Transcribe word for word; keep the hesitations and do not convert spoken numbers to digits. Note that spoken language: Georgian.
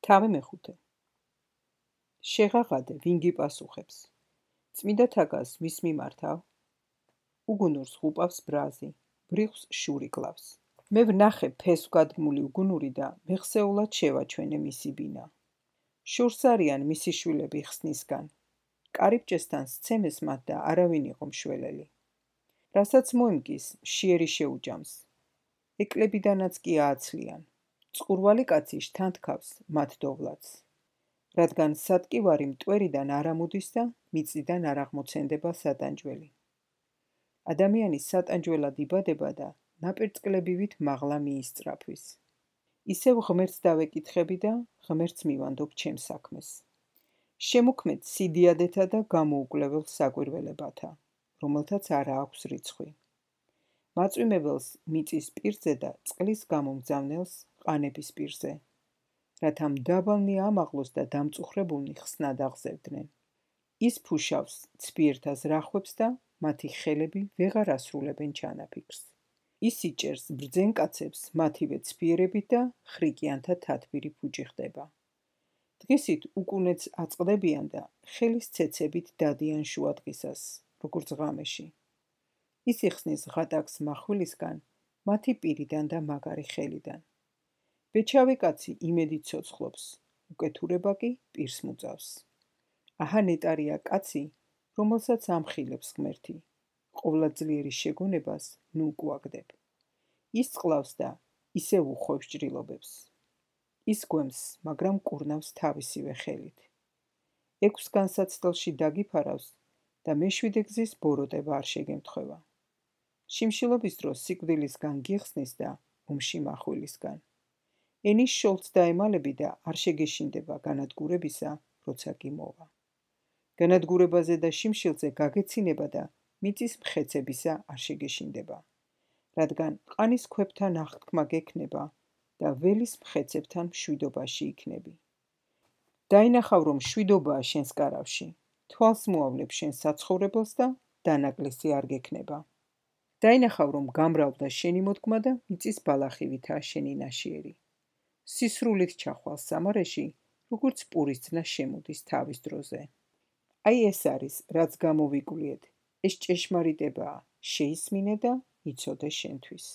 თავი მეხუთე. შეღაღადე, ვინ გიპასუხებს? წმიდა თაგას ვის მიმართავ? უგუნურს ღუპავს ბრაზი, ბრიხს შური კლავს. მე ვნახე ფესვგადგმული უგუნური და მეხსეულად შევაჩვენე მისი ბინა. შურს არიან მისი შვილები ხსნისგან. კარიბჭესთან სცემეს მათ და არავინ იყო მშველელი. რასაც მოიმკის, მშიერი შეუჯამს. ეკლებიდანაც კი ააცლიან. წყურვალი კაცი შთანთქავს მათ დოვლაც. რადგან სატკივარი მტვერიდან არ ამოდის და მიწიდან არ აღმოცენდება სატანჯველი. ადამიანი სატანჯველად იბადება და ნაპირწყლებივით მაღლა მიისწრაფვის. ისევ ღმერთს დავეკითხები და ღმერთს მივანდობ ჩემს საქმეს. შემოქმედ სიდიადეთა და გამოუკლებელ საკვირველებათა, რომელთაც არა აქვს რიცხვი. მაწვიმებელს მიწის პირზე და წყლის გამომგზავნელს ყანების პირზე, რათა მდაბალნი ამაღლოს და დამწუხრებულნი ხსნად აღზევდნენ. ის ფუშავს ცბიერთა ზრახვებს და მათი ხელები ვეღარ ასრულებენ ჩანაფიქრს. ის იჭერს ბრძენ კაცებს მათივე ცბიერებით და ხრიკიანთა თათბირი ფუჭი ხდება. დღისით უკუნეც აწყდებიან და ხელის ცეცებით დადიან შუადღისას, როგორც ღამეში. ის იხსნის ღატაკს מחვილისგან, მათი პირიდან და მაგარი ხელიდან. ბეჩავი კაცი იმედით ცოცხლობს, უკეთურება კი პირს მუწავს. აჰა ნეტარია კაცი, რომელსაც ამხილებს ღმერთი, ყოვლადწლიერი შეგონებას ნუ გვაგდებ. ის წყლავს და ისევ უხვევს ჭრილობებს. ის გვემს, მაგრამ კურნავს თავისივე ხელით. ექვს განსაცდელში დაგიფარავს და მეშვიდე გზის ბოროტება არ შეგემთხვევა. შიმშილობის დროს სიკვდილისგან გიხსნის და ომში מחვილისგან. ენის შოლს დაემალები და არ შეგეშინდება განადგურებისა, როცა კი მოვა. განადგურებაზე და შიმშილზე გაგეცინება და მიწის მხეცებისა არ შეგეშინდება, რადგან ყანის ქვებთან აღთქმა გექნება და ველის მხეცებთან მშვიდობაში იქნები. დაინახავ, რომ მშვიდობაა შენს კარავში, თვალს მოავლებ შენ საცხოვრებელს და დანაკლისი არ გექნება. დაინახავ, რომ გამრავლდა შენი მოდგმა და მიწის ბალახივითაა შენი ნაშიერი. სისრულით ჩახვალ სამარეში, როგორც პურის ძნა შემოდის თავის დროზე. აი ეს არის, რაც გამოვიკვლიეთ, ეს ჭეშმარიტებაა, შეისმინე და იცოდე შენთვის.